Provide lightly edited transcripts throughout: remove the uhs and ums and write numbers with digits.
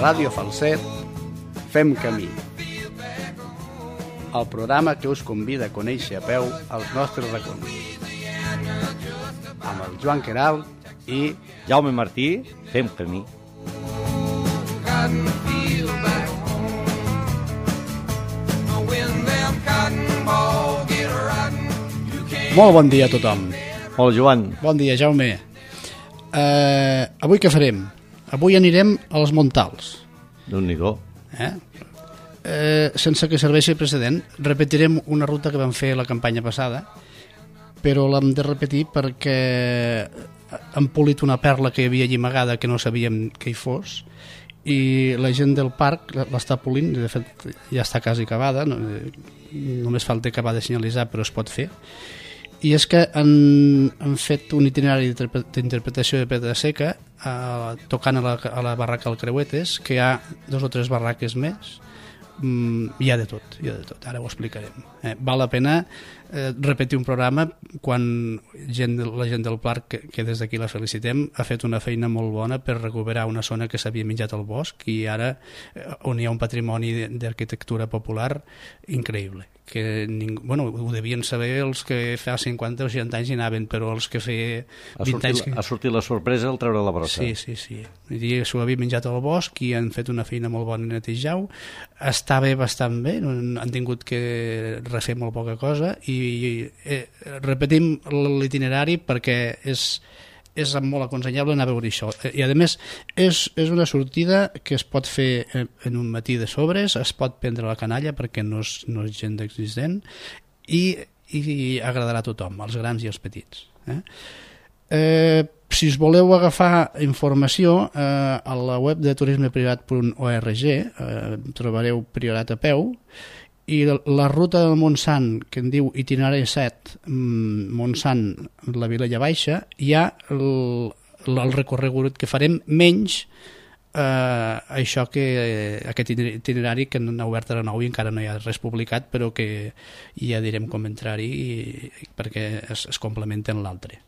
Ràdio Falset, Fem Camí. El programa que us convida a conèixer a peu els nostres racons. Amb el Joan Queralt i Jaume Martí, Fem Camí. Molt bon dia a tothom. Hola, Joan. Bon dia, Jaume. Avui què farem? Avui anirem als Montals. Déu-n'hi-do. Sense que serveixi precedent, repetirem una ruta que vam fer la campanya passada, però l'hem de repetir perquè hem polit una perla que hi havia allí amagada que no sabíem que hi fos, i la gent del parc l'està polint. De fet ja està quasi acabada, només falta acabar de senyalitzar, però es pot fer. I és que han fet un itinerari d'interpretació de pedra seca tocant a la barraca del Creuetes, que hi ha 2 o 3 barraques més. Hi ha de tot, ara ho explicarem. Val la pena repetir un programa quan la gent del parc, que des d'aquí la felicitem, ha fet una feina molt bona per recuperar una zona que s'havia menjat al bosc, i ara on hi ha un patrimoni d'arquitectura popular increïble, que ho devien saber els que fa 50 o 60 anys hi anaven, però els que feia 20 anys... Ha sortit la sorpresa al treure la brossa. Sí. S'ho havia menjat al bosc i han fet una feina molt bona a netejar-ho. Està bé, bastant bé, han tingut que refer molt poca cosa, i repetim l'itinerari perquè és molt aconsellable anar a veure això. I a més és una sortida que es pot fer en un matí de sobres, es pot prendre la canalla perquè no és gent existent, i agradarà a tothom, als grans i als petits. Si us voleu agafar informació, a la web de turismeprivat.org trobareu Priorat a peu, i la ruta del Montsant, que en diu itinerari 7, Montsant, la Vilella Baixa, hi ha el recorregut que farem, menys això, que aquest itinerari que n'ha obert a la 9 i encara no hi ha res publicat, però que ja direm com entrar-hi perquè es complementen l'altre.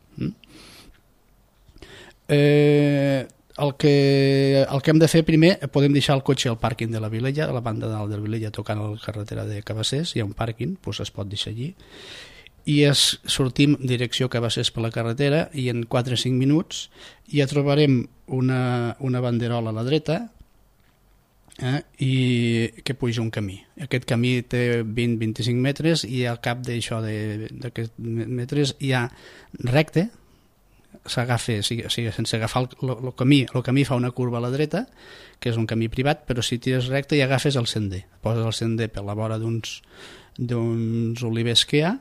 El que hem de fer primer, podem deixar el cotxe al pàrquing de la Vilella, a la banda dalt de la Vilella, tocant a la carretera de Cabassers. Hi ha un pàrquing, doncs es pot deixar allí, i sortim direcció Cabassers per la carretera, i en 4 o 5 minuts ja trobarem una banderola a la dreta, i que puja un camí. Aquest camí té 20-25 metres, i al cap d'aquests metres hi ha recte, s'agafa, sense agafar el camí fa una curva a la dreta, que és un camí privat, però si tires recte i agafes el sender, poses el sender per la vora d'uns olivers que hi ha,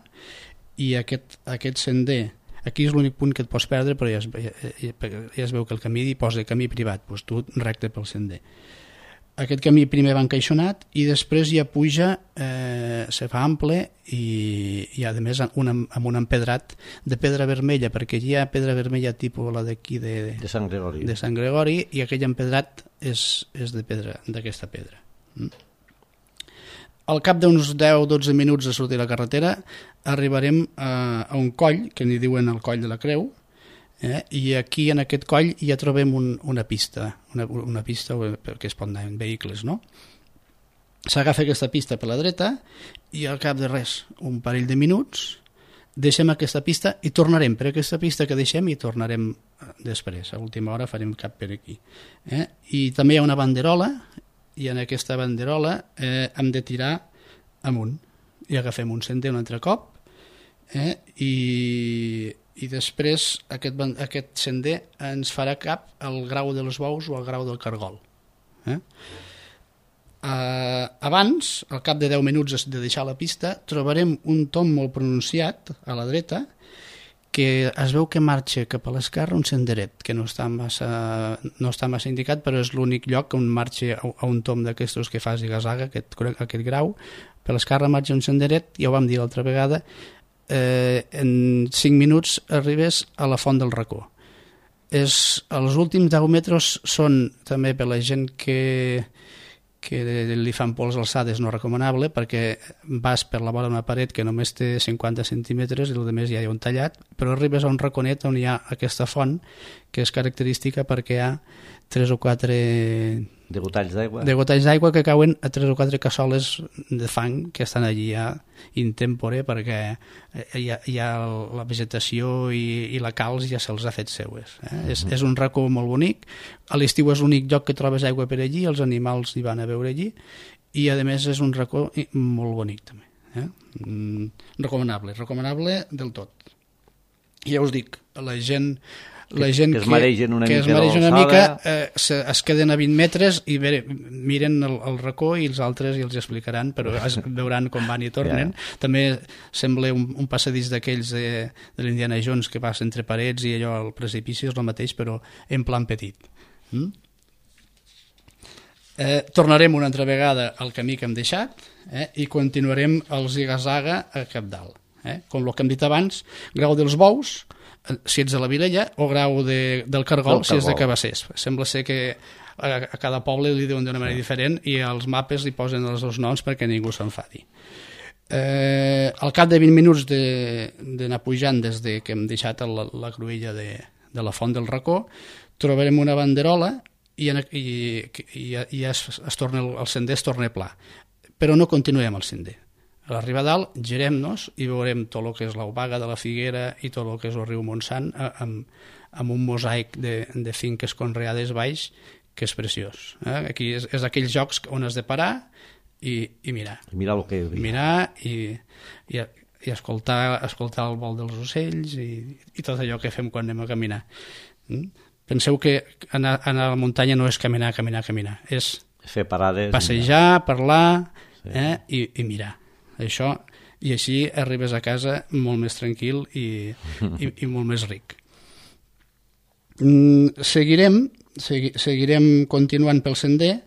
i aquest sender, aquí és l'únic punt que et pots perdre, però ja es veu que el camí hi posa camí privat, doncs tu recte pel sender. Aquest camí primer va encaixonat i després ja puja, se fa ample, i a més amb un empedrat de pedra vermella, perquè hi ha pedra vermella tipus la d'aquí de Sant Gregori, i aquell empedrat és d'aquesta pedra. Al cap d'uns 10-12 minuts de sortir a la carretera arribarem a un coll que n'hi diuen el Coll de la Creu, i aquí en aquest coll ja trobem una pista perquè es pot anar en vehicles, no? S'agafa aquesta pista per la dreta i al cap de res, un parell de minuts, deixem aquesta pista i tornarem per aquesta pista que deixem, i tornarem després, a última hora farem cap per aquí. I també hi ha una banderola, i en aquesta banderola hem de tirar amunt i agafem un sender un altre cop, i després aquest sender ens farà cap al Grau dels Bous o al Grau del Cargol. Abans, al cap de 10 minuts de deixar la pista, trobarem un tomb molt pronunciat a la dreta, que es veu que marxa cap a l'esquerra un senderet, que no està massa indicat, però és l'únic lloc on marxa a un tomb d'aquestos que fa ziga-zaga, aquest grau. Per l'esquerra marxa un senderet, ja ho vam dir l'altra vegada, en 5 minuts arribes a la Font del Racó. Els últims 10 metres són també per la gent que li fan pols alçades no recomanable, perquè vas per la vora d'una paret que només té 50 centímetres i el més ja hi ha un tallat, però arribes a un raconet on hi ha aquesta font, que és característica perquè hi ha 3 o 4 De gotalls d'aigua? De gotalls d'aigua que cauen a 3 o 4 cassoles de fang que estan allí ja intempore perquè ja la vegetació i la calç ja se'ls ha fet seues. És un racó molt bonic. A l'estiu és l'únic lloc que trobes aigua per allí, els animals hi van a veure allí, i a més és un racó molt bonic també. Recomanable del tot. I ja us dic, la gent que es maregen una mica es queden a 20 metres i miren el racó i els altres i els explicaran, però veuran com van i tornen. També sembla un passadís d'aquells de l'Indiana Jones que passa entre parets i allò al precipici és el mateix però en plan petit. Tornarem una altra vegada al camí que hem deixat i continuarem el ziga-zaga a cap dalt. Com el que hem dit abans, Grau dels Bous si ets de la Vilella o Grau del Cargol si ets de Cabassers. Sembla ser que a cada poble li diuen d'una manera diferent i als mapes li posen els dos noms perquè ningú s'enfadi. Al cap de 20 minuts d'anar pujant des que hem deixat la cruïlla de la Font del Racó trobarem una banderola i el sender es torna pla, però no continuem el sender. A l'arribar a dalt girem-nos i veurem tot el que és l'Obaga de la Figuera i tot el que és el riu Montsant amb un mosaic de finques conreades baix que és preciós. Aquí és aquells jocs on has de parar i mirar. Mirar el que hi havia. Mirar i escoltar el vol dels ocells i tot allò que fem quan anem a caminar. Penseu que anar a la muntanya no és caminar, és fer parades, passejar, parlar i mirar. Això, i així arribes a casa molt més tranquil i molt més ric. Seguirem continuant pel sender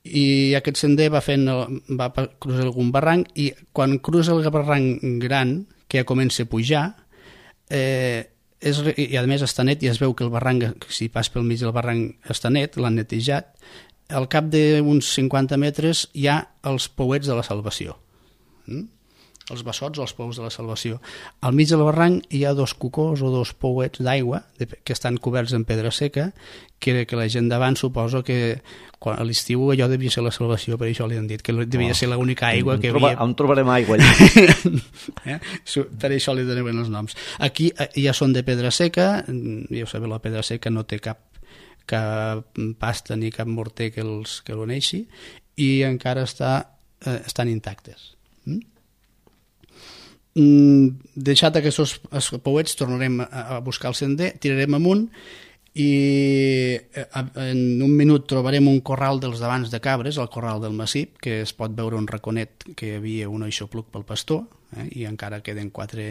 i aquest sender va cruzar algun barranc i quan cruza el barranc gran que ja comença a pujar i a més està net i es veu que el barranc, si pas pel mig del barranc està net, l'han netejat, al cap d'uns 50 metres hi ha els pouets de la Salvació. Els bessots o els pous de la Salvació. Al mig del barranc hi ha 2 cucós o 2 pouets d'aigua que estan coberts en pedra seca que la gent d'abans suposo que a l'estiu allò devia ser la Salvació, per això li han dit que devia ser l'única aigua que havia. On trobarem aigua allà? Per això li donaven els noms. Aquí ja són de pedra seca, ja ho sabeu, la pedra seca no té cap pasta ni cap morter que l'uneixi i encara estan intactes. Deixat aquests pouets tornarem a buscar el sender, tirarem amunt i en un minut trobarem un corral dels davants de cabres, el corral del Massip, que es pot veure un raconet que hi havia un aixopluc pel pastor i encara queden 4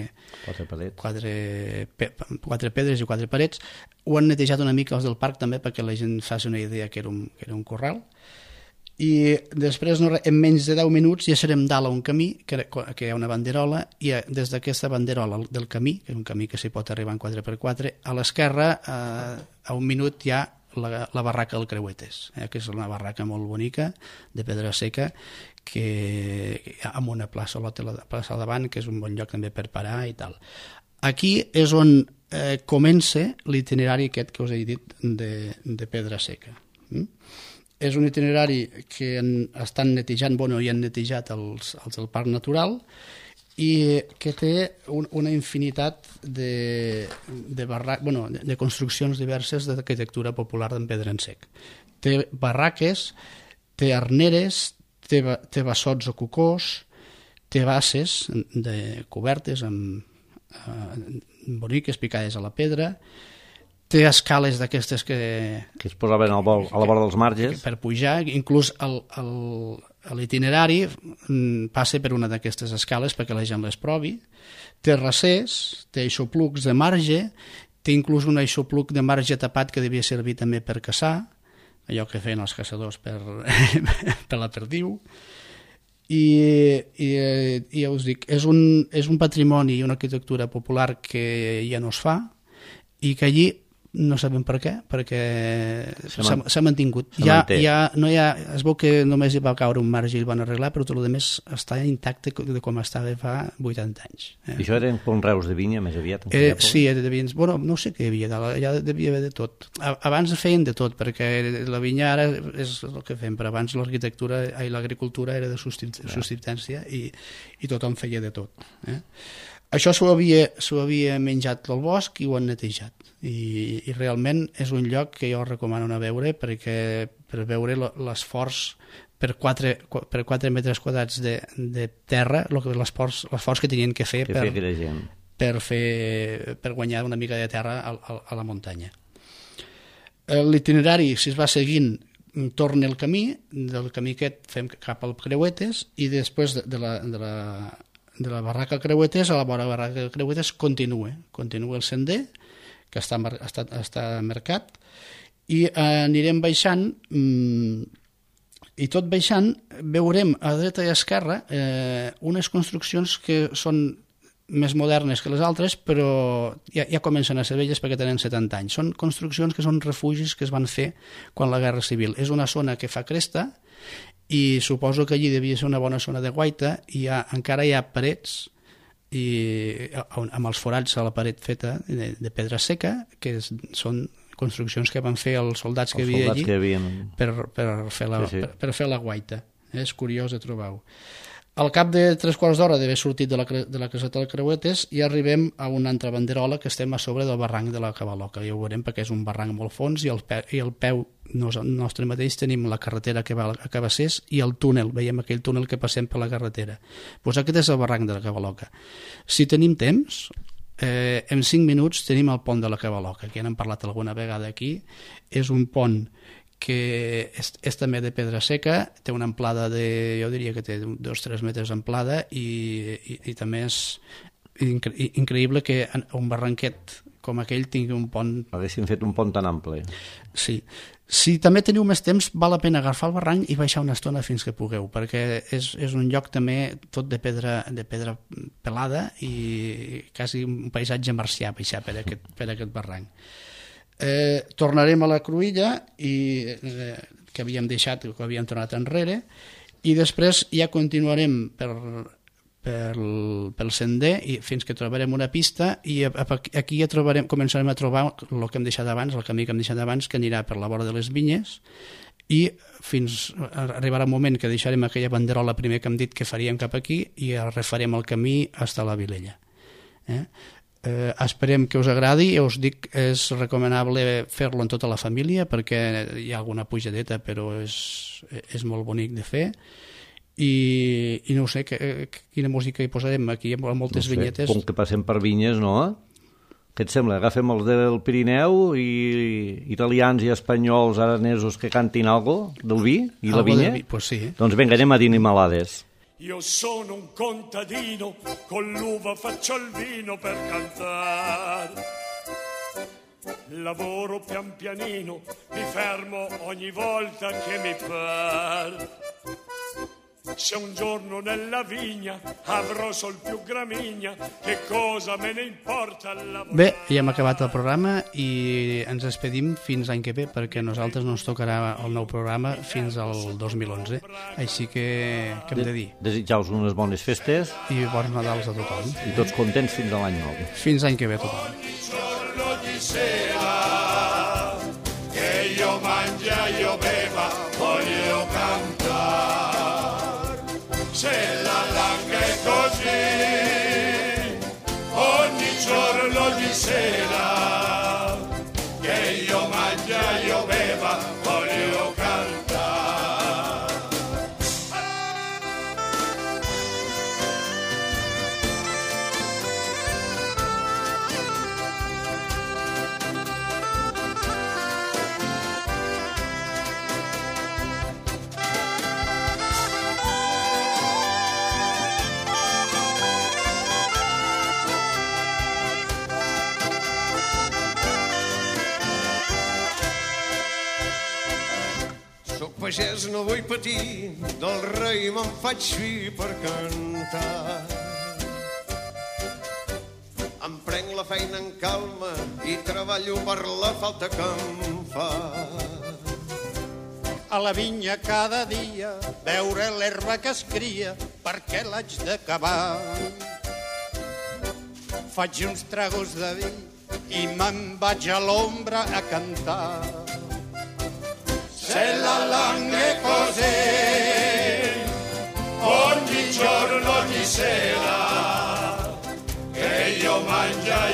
pedres i 4 parets. Ho han netejat una mica els del parc també perquè la gent faci una idea que era un corral. I després en menys de 10 minuts ja serem dalt a un camí que hi ha una banderola i des d'aquesta banderola del camí, que és un camí que s'hi pot arribar en 4x4, a l'esquerra a un minut hi ha la barraca del Creuetes, que és una barraca molt bonica de pedra seca amb una plaça al davant que és un bon lloc també per parar i tal. Aquí és on comença l'itinerari aquest que us he dit de pedra seca. És un itinerari que estan netejant, i han netejat els del Parc Natural i que té una infinitat de construccions diverses d'arquitectura popular en pedra en sec. Té barraques, té arneres, té bassots o cucós, té basses cobertes boniques picades a la pedra, té escales d'aquestes que es posaven a la vora dels marges per pujar, inclús l'itinerari passa per una d'aquestes escales perquè la gent les provi, té recés, té aixoplucs de marge, té inclús un aixopluc de marge tapat que devia servir també per caçar, allò que feien els caçadors per la perdiu, i ja us dic, és un patrimoni i una arquitectura popular que ja no es fa i que allí no sabem per què, perquè s'ha mantingut. Es veu que només hi va caure un marge i el van arreglar, però tot el més està intacte de com estava fa 80 anys. I això eren conreus de vinya més aviat? Sí, de vins. Bueno, no sé què hi havia, ja devia haver de tot. Abans feien de tot, perquè la vinya ara és el que fem, però abans l'agricultura era de subsistència i tothom feia de tot. Això s'ho havia menjat al bosc i ho han netejat. I realment és un lloc que jo recomano anar a veure per veure l'esforç per 4 metres quadrats de terra, l'esforç que tenien que fer per guanyar una mica de terra a la muntanya. L'itinerari, si es va seguint, torna el camí, del camí aquest fem cap al Creuetes i després de la barraca Creuetes, a la vora de la barraca Creuetes continua el sender que està marcat i anirem baixant i tot baixant veurem a dreta i a esquerra unes construccions que són més modernes que les altres, però ja comencen a ser velles perquè tenen 70 anys. Són construccions que són refugis que es van fer quan la Guerra Civil. És una zona que fa cresta i suposo que allí devia ser una bona zona de guaita i encara hi ha parets amb els forats a la paret feta de pedra seca, que són construccions que van fer els soldats que hi havia allí per fer la guaita. És curiós de trobar-ho. Al cap de 3 quarts d'hora d'haver sortit de la caseta del Creuetes ja arribem a una altra banderola que estem a sobre del barranc de la Cavaloca. Ja ho veurem perquè és un barranc molt fons i al peu nostre mateix tenim la carretera que va a Cabassers i el túnel, veiem aquell túnel que passem per la carretera. Doncs aquest és el barranc de la Cavaloca. Si tenim temps, en 5 minuts tenim el pont de la Cavaloca, que ja n'hem parlat alguna vegada aquí. És un pont que és també de pedra seca, té una amplada jo diria que té 2-3 metres d'amplada i també és increïble que un barranquet com aquell tingui un pont... Haguessin fet un pont tan ample. Sí. Si també teniu més temps, val la pena agafar el barranc i baixar una estona fins que pugueu, perquè és un lloc també tot de pedra pelada i quasi un paisatge marcià baixar per aquest barranc. Tornarem a la Cruïlla que havíem deixat, que havíem tornat enrere, i després ja continuarem pel sender fins que trobarem una pista i aquí ja començarem a trobar el que hem deixat abans, el camí que hem deixat abans, que anirà per la vora de les vinyes i fins arribarà un moment que deixarem aquella banderola primer que hem dit que faríem cap aquí i refarem el camí fins a la Vilella. Esperem que us agradi i us dic, és recomanable fer-lo en tota la família perquè hi ha alguna pujadeta però és molt bonic de fer i no sé quina música hi posarem aquí, hi ha moltes vinyetes. Com que passem per vinyes, no? Què et sembla? Agafem els del Pirineu i italians i espanyols aranesos que cantin algo del vi i la vinya? Pues sí. Doncs vinga, anem a Dinimalades. Io sono un contadino, con l'uva faccio il vino per cantare. Lavoro pian pianino, mi fermo ogni volta che mi par. Se un giorno nella vigna avrò sol più gramigna, che cosa me ne importa lavorare. Bé, ja hem acabat el programa i ens despedim fins l'any que ve perquè a nosaltres no ens tocarà el nou programa fins al 2011. Així que hem de dir? Desitjar-vos unes bones festes i bons Nadals a tothom. I tots contents fins a l'any nou. Fins l'any que ve a tothom. Che io mangia, io beva, voglio cantare. Se la langa è così, ogni giorno di sera, che io mangia, io beva, voglio cantare. Pagès no vull patir, del rei me'n faig fi per cantar. Em prenc la feina en calma i treballo per la falta que em fa. A la vinya cada dia veure l'herba que es cria perquè l'haig d'acabar. Faig uns tragos de vi i me'n vaig a l'ombra a cantar. Se la langue così ogni giorno, ogni sera che io mangia